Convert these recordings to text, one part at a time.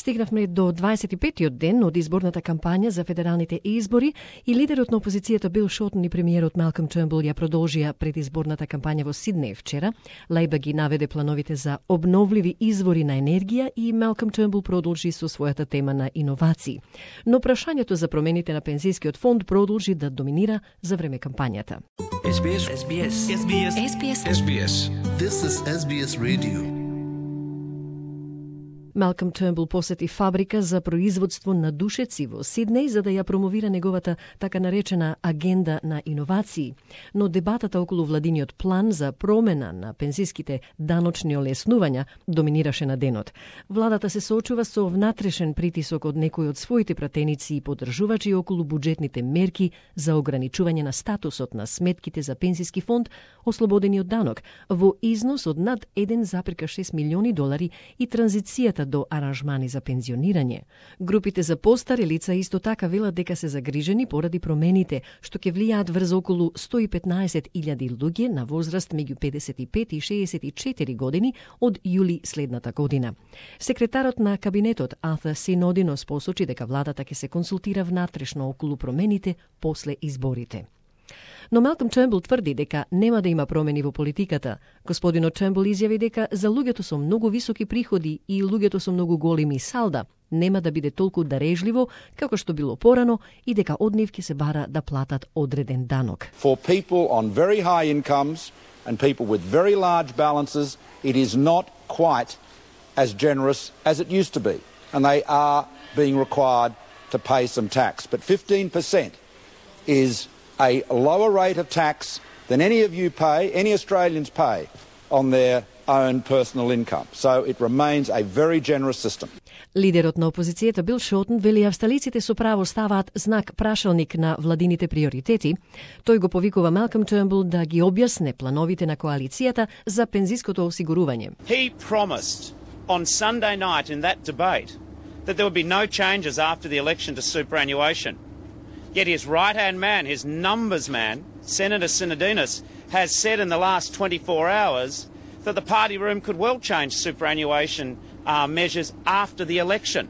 Стигнавме до 25-тиот ден од изборната кампања за федералните избори и лидерот на опозицијата Бил Шортон и премиерот Малком Тернбул ја продолжија предизборната кампања во Сиднеј вчера. Лејбър ги наведе плановите за обновливи извори на енергија и Малком Тернбул продолжи со својата тема на иновации. Но прашањето за промените на пензискиот фонд продолжи да доминира за време кампањата. SBS. This is SBS Radio. Малком Тернбул посети фабрика за производство на душеци во Сиднеј за да ја промовира неговата така наречена агенда на иновации. Но дебатата околу владиниот план за промена на пензиските даночни олеснувања доминираше на денот. Владата се соочува со внатрешен притисок од некои од своите пратеници и поддржувачи околу буџетните мерки за ограничување на статусот на сметките за пензиски фонд ослободени од данок во износ од над 1,6 милиони долари и транзицијата до аранжмани за пензионирање. Групите за постари лица исто така велат дека се загрижени поради промените што ќе влијаат врз околу 115.000 луѓе на возраст меѓу 55 и 64 години од јули следната година. Секретарот на кабинетот Артур Синодинос посочи дека владата ќе се консултира внатрешно околу промените после изборите. Но Малком Тернбул тврди дека нема да има промени во политиката. Господинот Тернбул изјави дека за луѓето со многу високи приходи и луѓето со многу големи салда нема да биде толку дарежливо како што било порано и дека од нив ќе се бара да платат одреден данок. For people on very high incomes and people with very large balances, it is not quite as generous as it used to be, and they are being required to pay some tax. But 15% is a lower rate of tax than any of you pay, any Australians pay on their own personal income. So it remains a very generous system. Лидерот на опозицијата Бил Шортон вели австралиците со право ставаат знак прашалник на владините приоритети. Тој го повикува Малком Тернбул да ги објасне плановите на коалицијата за пензиското осигурување. He promised on Sunday night in that debate that there would be no changes after the election to superannuation. Yet his right-hand man, his numbers man, Senator Sinodinos, has said in the last 24 hours that the party room could well change superannuation measures after the election.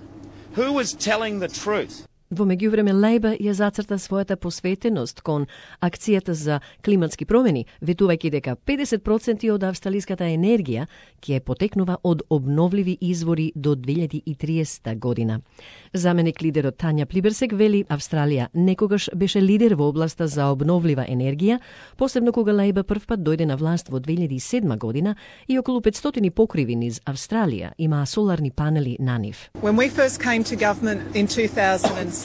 Who was telling the truth? Во меѓувреме Лејбър ја зацрта својата посветеност кон акцијата за климатски промени, ветувајќи дека 50% од австралиската енергија ќе потекнува од обновливи извори до 2030 година. Заменик лидерот Тања Плиберсек вели Австралија некогаш беше лидер во областа за обновлива енергија, посебно кога Лејбър првпат дојде на власт во 2007 година и околу 500 покриви низ Австралија имаа соларни панели на нив. When we first came to government in 2007,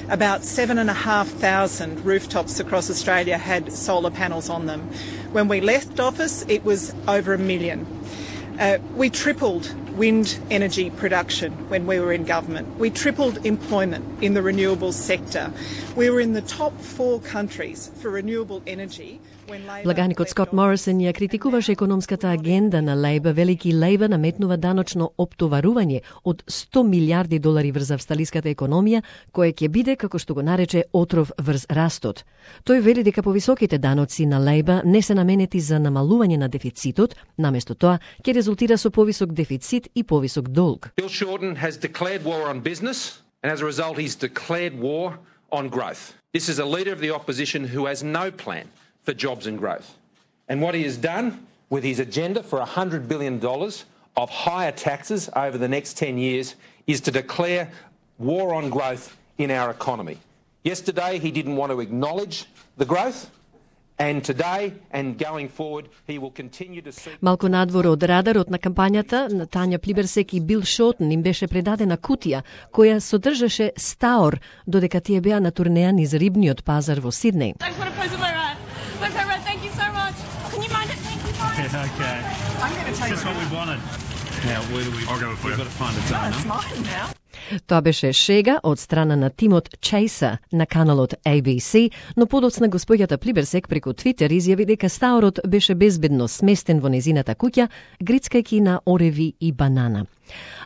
about 7,500 rooftops across Australia had solar panels on them. When we left office, it was over 1 million. We tripled wind energy production when we were in government. We tripled employment in the renewables sector. We were in the top 4 countries for renewable energy. Благаникот Скот Морисон ја критикуваше економската агенда на Лејбър, велики Лејбър наметнува даночно оптоварување од 100 милиарди долари врз австралиската економија, кое ќе биде, како што го нарече, отров врз растот. Тој вели дека повисоките даноци на Лејбър не се наменети за намалување на дефицитот, наместо тоа ќе резултира со повисок дефицит и повисок долг. Bill Shorten has declared war on business, and as a result he's declared war on growth. This is a leader of the opposition who has no plan for jobs and growth. And what he has done with his agenda for $100 billion of higher taxes over the next 10 years is to declare war on growth in our economy. Yesterday he didn't want to acknowledge the growth, and today and going forward he will continue to see... Малку надвор од радарот на кампањата, на Тања Плиберсек и Бил Шортон им беше предадена кутија која содржаше стаор додека тие беа на турнеја низ рибниот пазар во Сиднеј. Okay. I'm going to take this is what we wanted. Now, where do we? I'll go for it. We've got to find a donor. That's mine now. Тоа беше шега од страна на тимот Chaser на каналот ABC, но подоцна госпоѓата Плиберсек преку Твитер изјави дека стаорот беше безбедно сместен во незината куќа, грицкајќи на ореви и банана.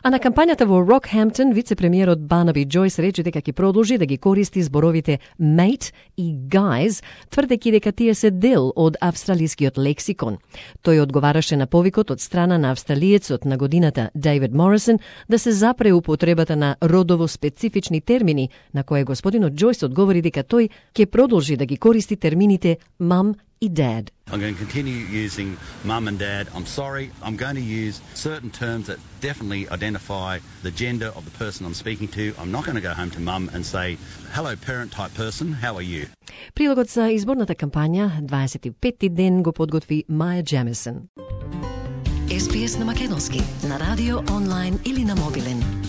А на кампањата во Рокхемптон, вице-премиерот Барнаби Джойс рече дека ќе продолжи да ги користи зборовите mate и guys, тврдејќи дека тие се дел од австралискиот лексикон. Тој одговараше на повикот од страна на австралиецот на годината Дейвид Морисон да се запре употребата на родово специфични термини, на кое господинот Джойс одговори дека тој ќе продолжи да ги користи термините mum и dad. I'm going to continue using mum and dad. I'm sorry, I'm going to use certain terms that definitely identify the gender of the person I'm speaking to. I'm not going to go home to mum and say, hello parent type person, how are you? Прилогот за изборната кампања 25-ти ден го подготви Маја Джемисон. SBS на македонски, на радио, онлайн или на мобилен.